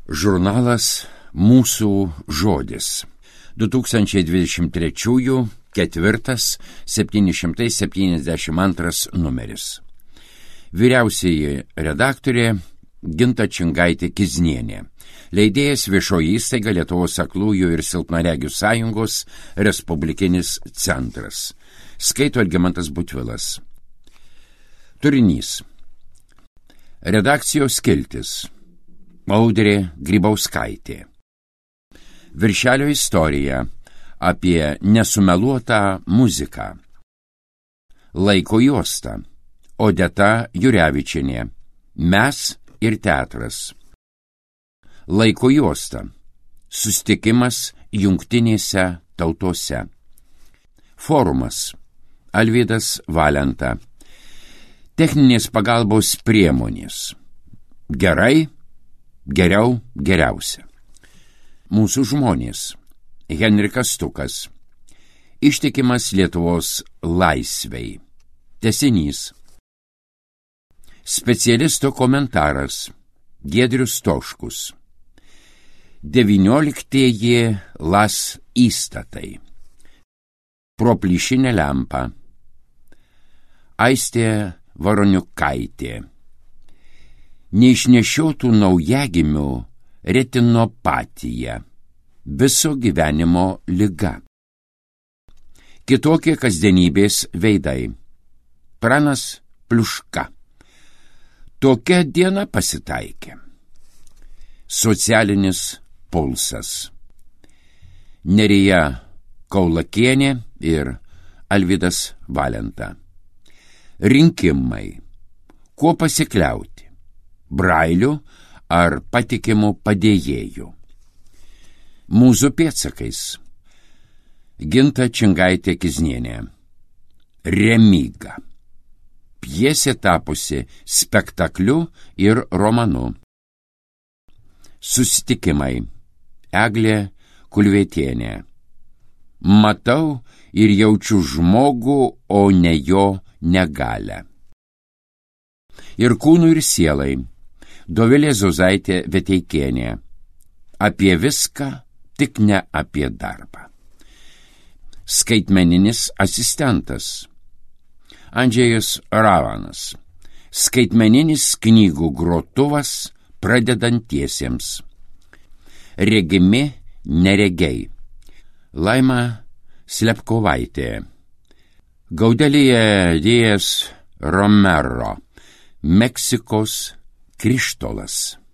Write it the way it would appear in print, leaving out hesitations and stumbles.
Žurnalas Mūsų žodis. 2023 4. 772 numeris. Vyriausioji redaktorė Ginta Čingaitė-Kiznienė. Leidėjas Viešoji įstaiga Lietuvos aklųjų ir silpnaregių sąjungos Respublikinis centras. Skaito Algimantas Butvilas. Turinys. Redakcijos skiltis. Audrė Grybauskaitė. Viršelio istorija apie nesumeluotą muziką. Laiko juosta. Odeta Jurevičienė. Mes ir teatras. Laiko juosta. Susitikimas Jungtinėse tautose. Forumas. Alvydas Valenta. Techninės pagalbos priemonės. Gerai, geriau, geriausia. Mūsų žmonės. Henrikas Stukas. Ištikimas Lietuvos laisvei. Tęsinys. Specialisto komentaras. Giedrius Stoškus. 19 las įstatai. Pro plyšinę lempą. Aistė Varoniukaitė. Neišnešiotų naujagimių retinopatija. Viso gyvenimo liga. Kitokie kasdienybės veidai. Pranas Pliuška. Tokia diena pasitaikė. Socialinis pulsas. Nerija Kaulakienė ir Alvydas Valenta. Rinkimai. Kuo pasikliauti? Brailiu ar patikimu padėjėju? Mūsų pėdsakais. Ginta Čingaitė-Kiznienė. Remyga. Pjesė tapusi spektakliu ir romanu. Susitikimai. Eglė Kulvietienė. Matau ir jaučiu žmogų, o ne jo negalę. Ir kūnų ir sielai. Dovilė Zozaitė Veteikienė. Apie viską, tik ne apie darbą. Skaitmeninis asistentas. Andžejus Ravanas. Skaitmeninis knygų grotuvas pradedantiesiems. Regimi neregiai. Laima Slepkovaitė. Gaudelija Díaz Romero. Meksikos krištolas.